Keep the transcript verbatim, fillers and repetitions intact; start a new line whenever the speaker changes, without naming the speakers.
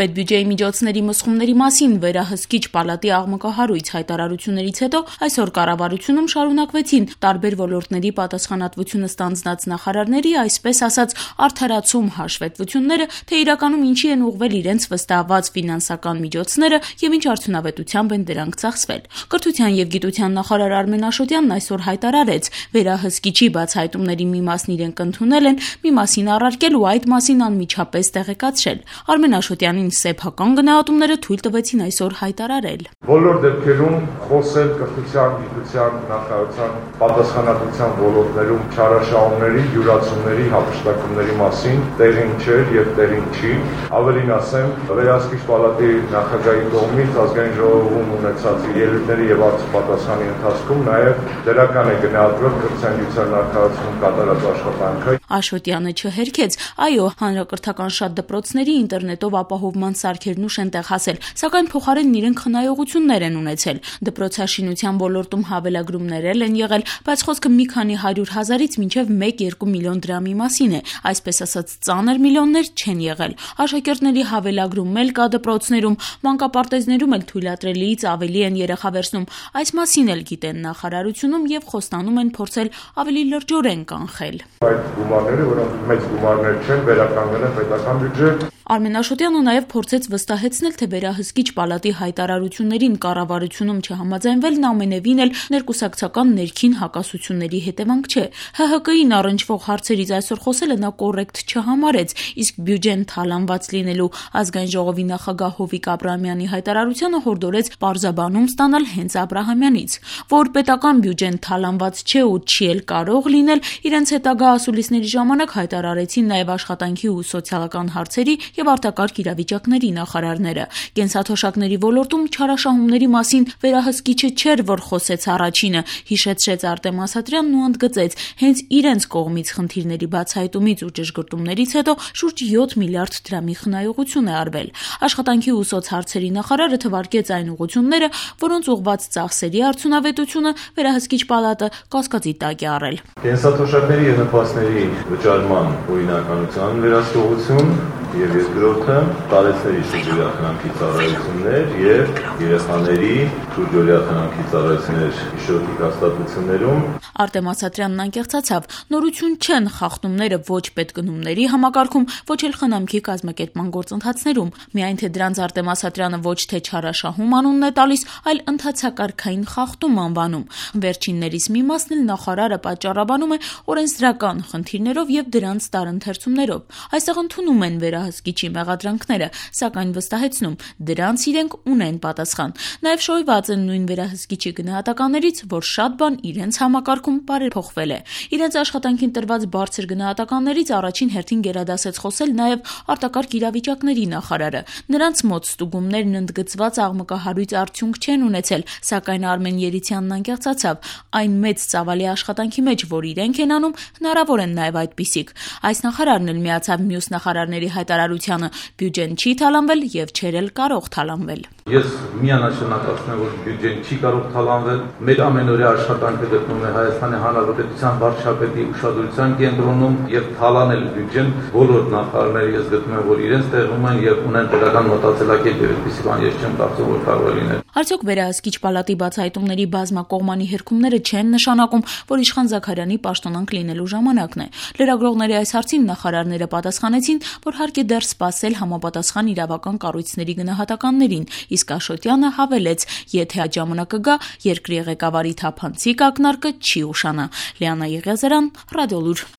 Պետբյուջեի միջոցների մսխումների մասին վերահսկիչ պալատի աղմկահարույց հայտարարություններից հետո այսօր կառավարությունում շարունակվեցին տարբեր ոլորտների պատասխանատվությունը ստանձնած նախարարների, այսպես ասած, արդարացում հաշվետվությունները, թե իրականում ինչի են ուղղվել իրենց վստահված ֆինանսական միջոցները եւ ինչ արդյունավետությամբ են դրանք ծախսվել։ Կրթության եւ գիտության նախարար Արմեն Աշոտյանն այսօր հայտարարեց, վերահսկիչի բացահայտումների մի մասն իրենք ընդունել են, մի մասին առարկել ու այդ մասին անմիջապես տեղեկացրել։ Արմեն Աշոտյանին սեփական գնահատումները թույլ տվեցին այսօր հայտարարել։
Բոլոր դեպքերում խոսել կրթության, գիտության, նախարարության պատասխանատվության ոլորտներում չարաշահումների, յուրացումների, հափշտակումների մասին տեղին չէր եւ տեղին չի։ Ավելին ասեմ, վերահսկիչ պալատի նախագահի կողմից ազգային ժողովում ունեցած ելույթների եւ պատասխանի ընթացքում նաեւ դրական է գնահատվել կրթության գիտության նախարարությունում կատարած աշխատանքը։
Աշոտյանը չհերքեց, այո, հանրակրթական շատ դպրոցների ինտերնետով ապահովման սարքերն ուշ են տեղ հասել, սակայն փոխարենն իրենք խնայողություններ են ունեցել։ Դպրոցաշինության ոլորտում հավելագրումներ են եղել, բայց խոսքը մի քանի հարյուր հազարից մինչև մեկ-երկու միլիոն դրամի մասին է, այսպես ասած ծանր միլիոններ չեն եղել։ Աշակերտների հավելագրում էլ կա դպրոցներում, մանկապարտեզներում էլ թույլատրելիից ավելի են երեխա վերցնում։ Այս մասին էլ գիտեն նախարարությունում եւ խոստանում են փորձել ավելի լրջորեն կանխել։
Այդ գումարները, որոնք մեծ գումարներ չեն, վերականգնել են պետական բյուջե։
Արմեն Աշոտյանը նաև փորձեց վստահեցնել, թե վերահսկիչ պալատի հայտարարություններին կառավարությունում չհամաձայնվելն ամենևին էլ ներկուսակցական ներքին հակասությունների հետևանք չէ։ Հ Հ Կ-ին առնչվող հարցերից այսօր խոսելը նա կոռեկտ չհամարեց, իսկ բյուջեն թալանված լինելու ազգային ժողովի նախագահ Հովիկ Աբրահամյանի հայտարարությանը հորդորեց պարզաբանում ստանալ հենց Աբրահամյանից, որ պետական բյուջեն թալանված չէ ու չի էլ կարող լինել, իրենց հետագա ասուլիսների ժամանակ հայտարարեցին նաև աշխատանքի ու սոցիալական հարցերի եւ արտակարգ իրավիճակների նախարարները։ Կենսաթոշակների ոլորտում չարաշահումների մասին վերահսկիչը չէր, որ խոսեց առաջինը, հիշեցրեց Արտեմ Ասատրյանն ու ընդգծեց, հենց իրենց կողմից խնդիրների բացահայտումից ու ճշգրտումներից հետո շուրջ յոթ միլիարդ դրամի խնայողություն է արվել։ Աշխատանքի ու սոցհարցերի նախարարը թվարկեց այն ուղղությունները, որոնց ուղղված ծախսերի արդյունավետությունը վերահսկիչ պալատը կասկածի տակ է առել։
Կենսաթոշակների եւ նպաստների վճարման օրինականության վերահսկողություն եւ երկրորդը տարեցների շուրջօրյա խնամքի ծառայություններ եւ երեխաների շուրջօրյա խնամքի ծառայություններ հիշողի հաստատություններում։
Արտեմ Ասատրյանն անկեղծացավ, նորություն չեն խախտումները ոչ պետգնումների համակարգում, ոչ էլ խնամքի կազմակերպման գործընթացներում, միայն թե դրանց Արտեմ Ասատրյանը ոչ թե չարաշահում անունն է տալիս, այլ ընթացակարգային խախտում անվանում։ Վերջիններից մի մասն էլ նախարարը պատճառաբանում է օրենսդրական խնդիրներով եւ դրանց տարընթերցումներով։ Այստեղ ընդունում են վերահսկիչի մեղադրանքները, սակայն վստահեցնում, դրանց իրենք ունեն պատասխան։ Նաև շոյված են նույն վերահսկիչի գնահատականներից, որ շատ բան իրենց համակարգում բարեփոխվել է։ Իրենց աշխատանքին տրված բարձր գնահատականներից առաջին հերթին գերադասեց խոսել նաև արտակարգ իրավիճակների նախարարը։ Նրանց մոտ ստուգումներն ընդգծված աղմկահարույց արդյունք չեն ունեցել, սակայն Արմեն Երիցյանն անկեղծացավ, այն մեծ ծավալի աշխատանքի մեջ, որ իրենք են անում, հնարավոր են նաև այդպիսիք։ Այս նախարարն էլ միացավ մյուս նախարարների հայտարարությանը, բյուջեն չի թալանվել եւ չէր էլ կարող թալանվել։
Ես միանշանակացնեմ, որ բյուջեն չի կարող թալանվել։ Մեր ամենօրյա աշխատանքը գտնվում է Հայաստանի Հանրապետության վարչապետի ուշադրության կենտրոնում եւ թալանել բյուջեն բոլոր նախարարները ես գտնում եմ, որ իրենց տեղում են եւ ունեն դրական մտածելակերպ եւ այդպիսի բան ես չեմ կարծում, որ կարող է լինել։
Արդյոք վերահսկիչ պալատի բացահայտումների բազմակողմանի հերքումները չեն նշանակում, որ Իշխան Զաքարյանի պաշտոնանկ լինելու ժամանակն է։ Լրագրողների այս հարցին նախարարները պատասխանեցին, որ հարկ է դեռ սպասել համապատասխան իրավական կառույցների գնահատականներին, իսկ Աշոտյանը հավելեց, եթե այդ ժամանակը գա, երկրի ղեկավարի թափանցիկ ակնարկը չի ուշանա։ Լիանա Եղիազարյան, Ռադիոլուր։